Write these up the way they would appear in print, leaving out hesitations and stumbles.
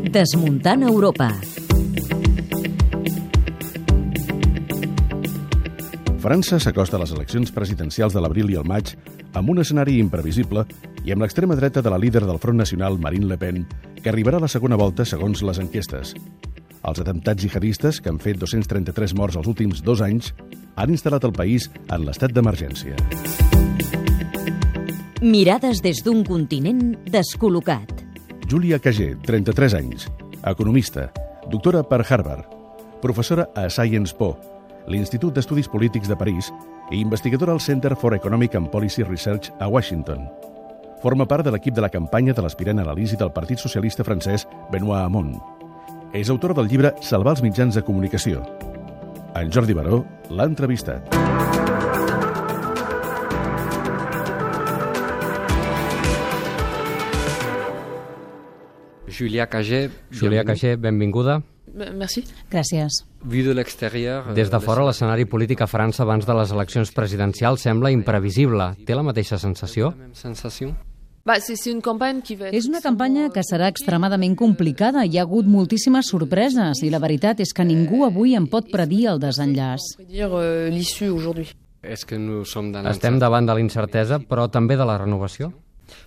Desmuntant Europa. França s'acosta a les eleccions presidencials de l'abril i el maig amb un escenari imprevisible i amb l'extrema dreta de la líder del Front Nacional, Marine Le Pen, que arribarà a la segona volta segons les enquestes. Els atemptats jihadistes, que han fet 233 morts els últims 2 anys, han instal·lat el país en l'estat d'emergència. Mirades des d'un continent descol·locat. Julia Cagé, 33 anys, economista, doctora per Harvard, professora a Sciences Po, l'Institut d'Estudis Polítics de París i investigadora al Center for Economic and Policy Research a Washington. Forma part de l'equip de la campanya de l'aspirant a l'Elisi del Partit Socialista francès Benoît Hamon. És autora del llibre Salvar els mitjans de comunicació. En Jordi Baró l'ha entrevistat. Julia Cagé, benvinguda. Merci. Gràcies. Vu de l'exterior... Des de fora, l'escenari polític a França abans de les eleccions presidencials sembla imprevisible. Té la mateixa sensació? És una campanya que serà extremadament complicada. Hi ha hagut moltíssimes sorpreses i la veritat és que ningú avui en pot predir el desenllaç. Estem davant de l'incertesa, però també de la renovació?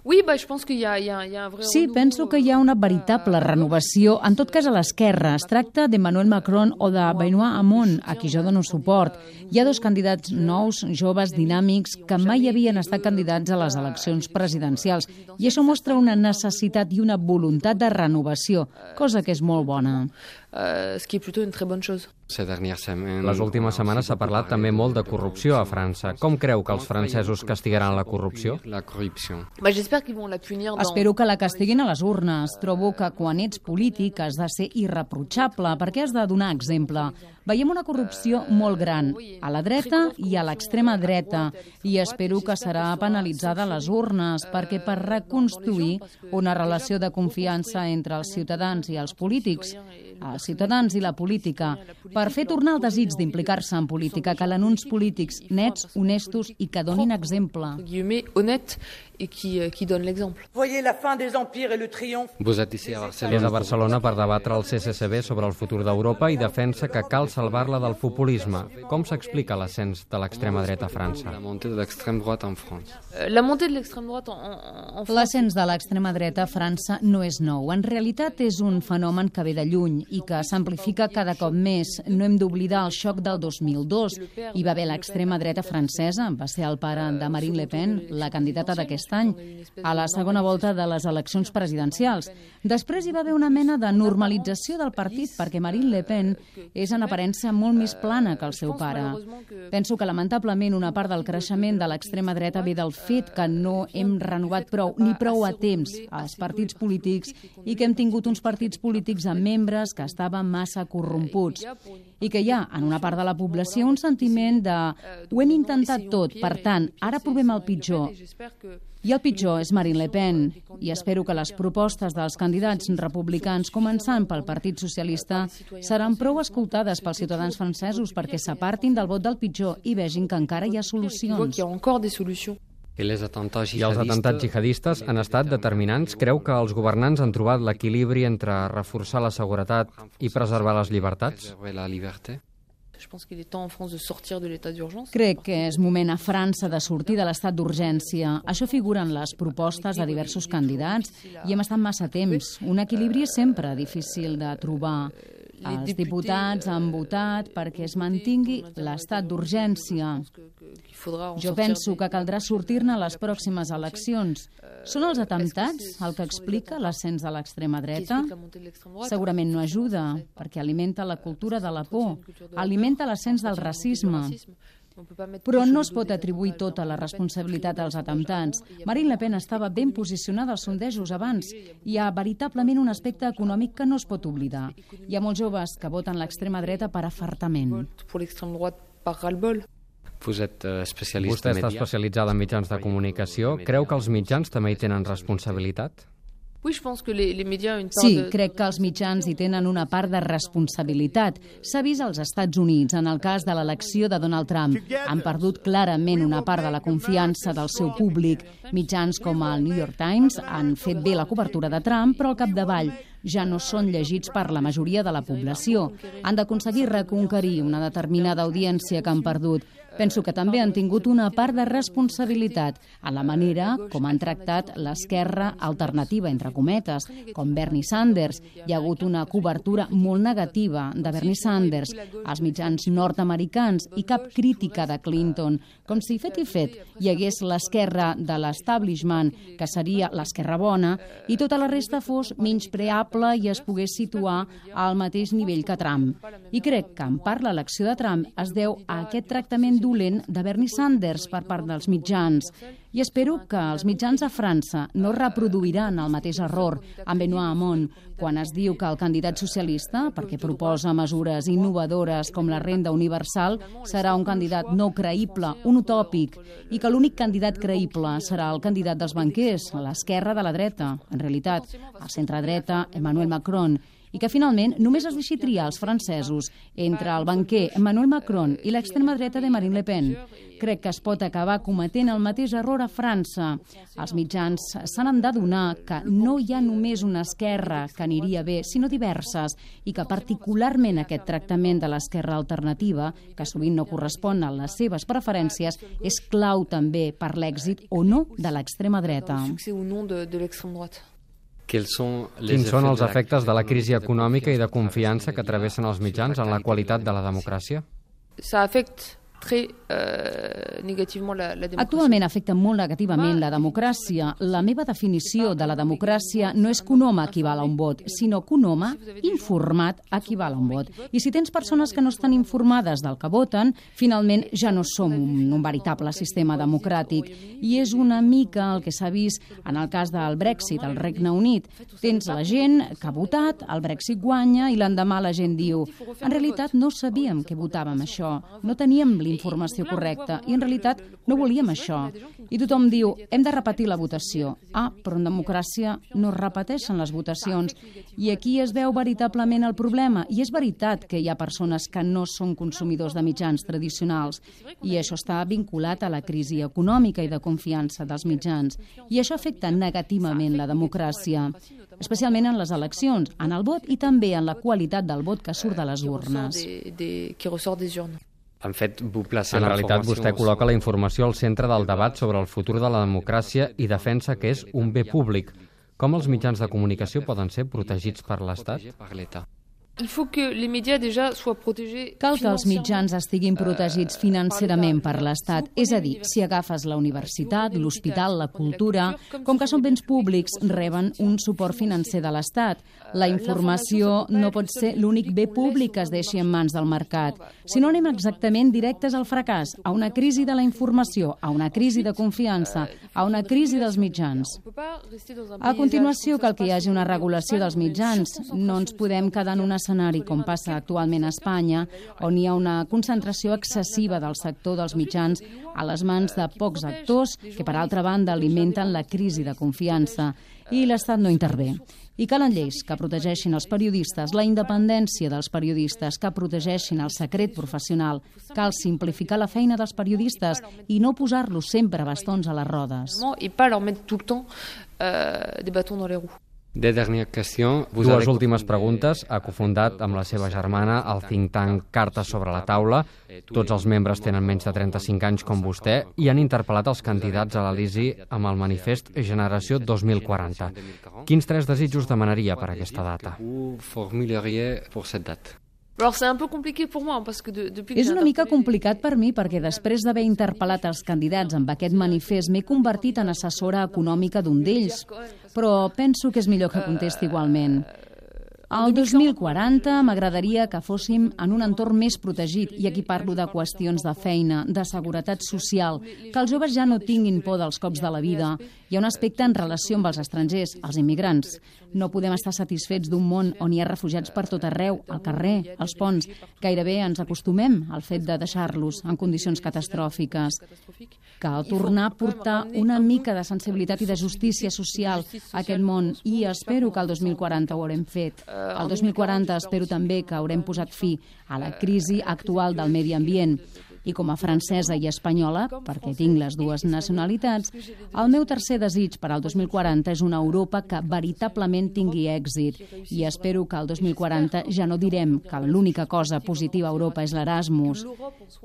Sí, penso que hi ha una veritable renovació, en tot cas a l'esquerra. Es tracta d'Emmanuel Macron o de Benoît Hamon, a qui jo dono suport. Hi ha 2 candidats nous, joves, dinàmics, que mai havien estat candidats a les eleccions presidencials. I això mostra una necessitat i una voluntat de renovació, cosa que és molt bona. Ce qui est plutôt une très bonne chose. Les últimes setmanes s'ha parlat també molt de corrupció a França. Com creu que els francesos castigaran la corrupció? Espero que la castiguin a les urnes. Trobo que quan ets polític has de ser irreprotxable perquè has de donar exemple. Veiem una corrupció molt gran, a la dreta i a l'extrema dreta, i espero que serà penalitzada a les urnes, perquè per reconstruir una relació de confiança entre els ciutadans i els polítics, els ciutadans i la política, per fer tornar el desig d'implicar-se en política, calen uns polítics nets, honestos i que donin exemple. És a Barcelona per debatre el CCCB sobre el futur d'Europa i defensa que cal salvar-la del populisme. Com s'explica l'ascens de l'extrema dreta a França? L'ascens de l'extrema dreta a França no és nou. En realitat és un fenomen que ve de lluny i que s'amplifica cada cop més. No hem d'oblidar el xoc del 2002. Hi va haver l'extrema dreta francesa, va ser el pare de Marine Le Pen, la candidata d'aquest any, a la segona volta de les eleccions presidencials. Després hi va haver una mena de normalització del partit perquè Marine Le Pen és en aparença molt més plana que el seu pare. Penso que lamentablement una part del creixement de l'extrema dreta ve del fet que no hem renovat prou a temps els partits polítics i que hem tingut uns partits polítics amb membres que estaven massa corromputs i que hi ha en una part de la població un sentiment de ho hem intentat tot, per tant, ara provem el pitjor. I el pitjor és Marine Le Pen, i espero que les propostes dels candidats republicans, començant pel Partit Socialista, seran prou escoltades pels ciutadans francesos perquè s'apartin del vot del pitjor i vegin que encara hi ha solucions. I els atemptats jihadistes han estat determinants. Creu que els governants han trobat l'equilibri entre reforçar la seguretat i preservar les llibertats? Crec que és moment a França de sortir de l'estat d'urgència. Això figura en les propostes de diversos candidats i hem estat massa temps. Un equilibri és sempre difícil de trobar. Els diputats han votat perquè es mantingui l'estat d'urgència. Jo penso que caldrà sortir-ne a les pròximes eleccions. Són els atemptats el que explica l'ascens de l'extrema dreta? Segurament no ajuda, perquè alimenta la cultura de la por, alimenta l'ascens del racisme. Però no es pot atribuir tota la responsabilitat als atemptats. Marine Le Pen estava ben posicionada als sondejos abans. Hi ha veritablement un aspecte econòmic que no es pot oblidar. Hi ha molts joves que voten l'extrema dreta per afartament. Vostè està especialitzada en mitjans de comunicació. Creu que els mitjans també hi tenen responsabilitat? Sí, crec que els mitjans hi tenen una part de responsabilitat. S'ha vist als Estats Units, en el cas de l'elecció de Donald Trump. Han perdut clarament una part de la confiança del seu públic. Mitjans com el New York Times han fet bé la cobertura de Trump, però al capdavall ja no són llegits per la majoria de la població. Han d'aconseguir reconquerir una determinada audiència que han perdut. Penso que també han tingut una part de responsabilitat en la manera com han tractat l'esquerra alternativa, entre cometes, com Bernie Sanders. Hi ha hagut una cobertura molt negativa de Bernie Sanders als mitjans nord-americans i cap crítica de Clinton, com si fet i fet hi hagués l'esquerra de l'establishment, que seria l'esquerra bona, i tota la resta fos menyspreable i es pogués situar al mateix nivell que Trump. I crec que en part l'elecció de Trump es deu a aquest tractament dolent de Bernie Sanders per part dels mitjans. I espero que els mitjans a França no reproduiran el mateix error amb Benoît Hamon quan es diu que el candidat socialista, perquè proposa mesures innovadores com la renda universal, serà un candidat no creïble, un utòpic, i que l'únic candidat creïble serà el candidat dels banquers, l'esquerra de la dreta, en realitat, a centre-dreta, Emmanuel Macron, i que finalment només es deixi triar els francesos entre el banquer Emmanuel Macron i l'extrema dreta de Marine Le Pen. Crec que es pot acabar cometent el mateix error a França. Els mitjans s'han d'adonar que no hi ha només una esquerra que aniria bé, sinó diverses, i que particularment aquest tractament de l'esquerra alternativa, que sovint no correspon a les seves preferències, és clau també per l'èxit o no de l'extrema dreta. Quins són els efectes de la crisi econòmica i de confiança que travessen els mitjans en la qualitat de la democràcia? Actualment afecta molt negativament la democràcia. La meva definició de la democràcia no és que un home equival a un vot, sinó que un home informat equival a un vot. I si tens persones que no estan informades del que voten, finalment ja no som un veritable sistema democràtic. I és una mica el que s'ha vist en el cas del Brexit, al Regne Unit. Tens la gent que ha votat, el Brexit guanya i l'endemà la gent diu en realitat no sabíem que votàvem això, no teníem informació correcta, i en realitat no volíem això. I tothom diu, hem de repetir la votació. Però en democràcia no es repeteixen les votacions. I aquí es veu veritablement el problema. I és veritat que hi ha persones que no són consumidors de mitjans tradicionals. I això està vinculat a la crisi econòmica i de confiança dels mitjans. I això afecta negativament la democràcia, especialment en les eleccions, en el vot i també en la qualitat del vot que surt de les urnes. En realitat, vostè col·loca la informació al centre del debat sobre el futur de la democràcia i defensa que és un bé públic. Com els mitjans de comunicació poden ser protegits per l'Estat? Cal que els mitjans estiguin protegits financerament per l'Estat. És a dir, si agafes la universitat, l'hospital, la cultura, com que són béns públics, reben un suport financer de l'Estat. La informació no pot ser l'únic bé públic que es deixi en mans del mercat. Si no anem exactament directes al fracàs, a una crisi de la informació, a una crisi de confiança, a una crisi dels mitjans. A continuació, cal que hi hagi una regulació dels mitjans. No ens podem quedar en un escenari, com passa actualment a Espanya, on hi ha una concentració excessiva del sector dels mitjans a les mans de pocs actors que, per altra banda, alimenten la crisi de confiança. I l'Estat no intervé. I calen lleis que protegeixin els periodistes, la independència dels periodistes, que protegeixin el secret professional. Cal simplificar la feina dels periodistes i no posar-los sempre bastons a les rodes. Dues últimes preguntes. Ha cofundat amb la seva germana el think tank Cartes sobre la taula. Tots els membres tenen menys de 35 anys com vostè i han interpel·lat els candidats a l'Elisi amb el manifest Generació 2040. Quins 3 desitjos demanaria per aquesta data? És una mica complicat per mi perquè després d'haver interpel·lat els candidats amb aquest manifest m'he convertit en assessora econòmica d'un d'ells, però penso que és millor que contesti igualment. Al 2040 m'agradaria que fóssim en un entorn més protegit, i aquí parlo de qüestions de feina, de seguretat social, que els joves ja no tinguin por dels cops de la vida. Hi ha un aspecte en relació amb els estrangers, els immigrants. No podem estar satisfets d'un món on hi ha refugiats per tot arreu, al carrer, als ponts. Gairebé ens acostumem al fet de deixar-los en condicions catastròfiques. Cal tornar a portar una mica de sensibilitat i de justícia social a aquest món, i espero que el 2040 ho haurem fet. El 2040 espero també que haurem posat fi a la crisi actual del medi ambient. I com a francesa i espanyola, perquè tinc les dues nacionalitats, el meu tercer desig per al 2040 és una Europa que veritablement tingui èxit. I espero que el 2040 ja no direm que l'única cosa positiva a Europa és l'Erasmus,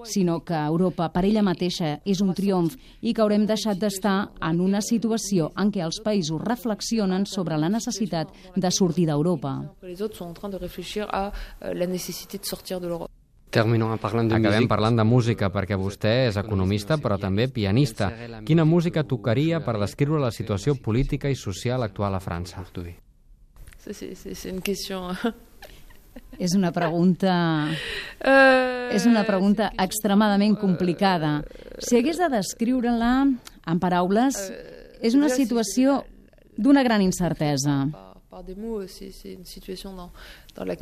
sinó que Europa per ella mateixa és un triomf i que haurem deixat d'estar en una situació en què els països reflexionen sobre la necessitat de sortir d'Europa. Acabem parlant de música, perquè vostè és economista, però també pianista. Quina música tocaria per descriure la situació política i social actual a França? És una pregunta extremadament complicada. Si hagués de descriure-la en paraules, és una situació d'una gran incertesa.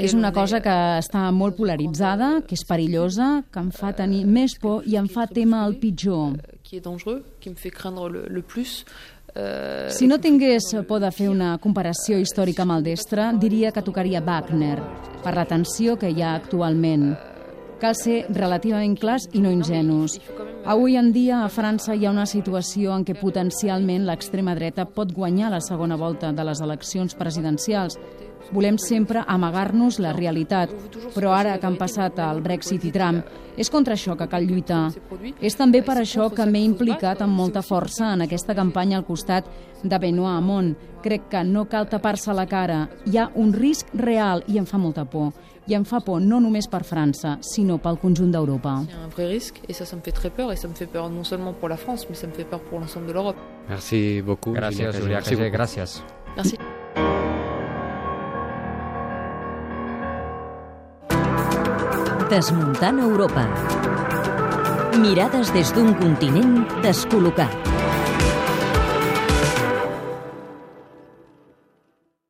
És una cosa que està molt polaritzada, que és perillosa, que em fa tenir més por i em fa témer el pitjor. Si no tingués por de fer una comparació històrica maldestra, diria que tocaria Wagner, per la tensió que hi ha actualment. Cal ser relativament clars i no ingenus. Avui en dia a França hi ha una situació en què potencialment l'extrema dreta pot guanyar la segona volta de les eleccions presidencials. Volem sempre amagar-nos la realitat, però ara que han passat el Brexit i Trump, és contra això que cal lluitar. És també per això que m'he implicat amb molta força en aquesta campanya al costat de Benoît Hamon. Crec que no cal tapar-se la cara. Hi ha un risc real i em fa molta por. I em fa por no només per França, sinó pel conjunt d'Europa. Il y a un vrai risque, et ça me fait très peur, et ça me fait peur non seulement pour la France, mais ça me fait peur pour l'ensemble de l'Europe. Merci beaucoup. Gràcies, Julià Cagé, gràcies. Merci. Desmuntant Europa. Mirades des d'un continent descol·locat.